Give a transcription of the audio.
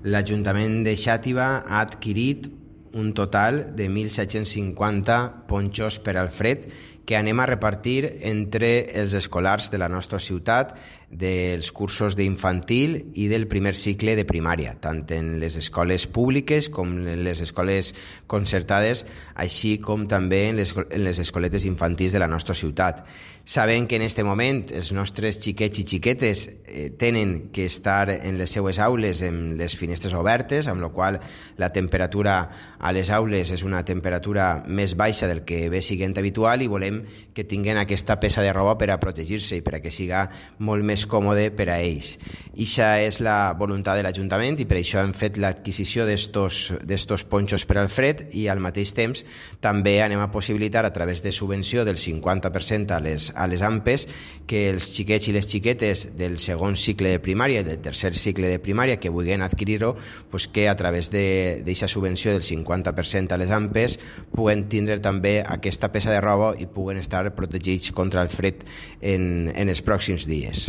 l'Ajuntament de Xàtiva ha adquirit un total de 1.750 ponxos per al fred que anem a repartir entre els escolars de la nostra ciutat dels cursos d'infantil i del primer cicle de primària, tant en les escoles públiques com en les escoles concertades, així com també en les escoletes infantils de la nostra ciutat. Sabem que en aquest moment els nostres xiquets i xiquetes tenen que estar en les seues aules amb les finestres obertes, amb la qual la temperatura a les aules és una temperatura més baixa del que ve siguent habitual i volem que tinguin aquesta peça de roba per a protegir-se i per a que siga molt més còmode per a ells. Ixa és la voluntat de l'Ajuntament i per això hem fet l'adquisició d'estos ponxos per al fred i al mateix temps també anem a possibilitar a través de subvenció del 50% a les AMPEs que els xiquets i les xiquetes del segon cicle de primària i del tercer cicle de primària que vulguin adquirir-ho, pues que a través d'aquesta subvenció del 50% a les AMPEs puguen tindre també aquesta peça de roba i puguen estar protegits contra el fred en els pròxims dies.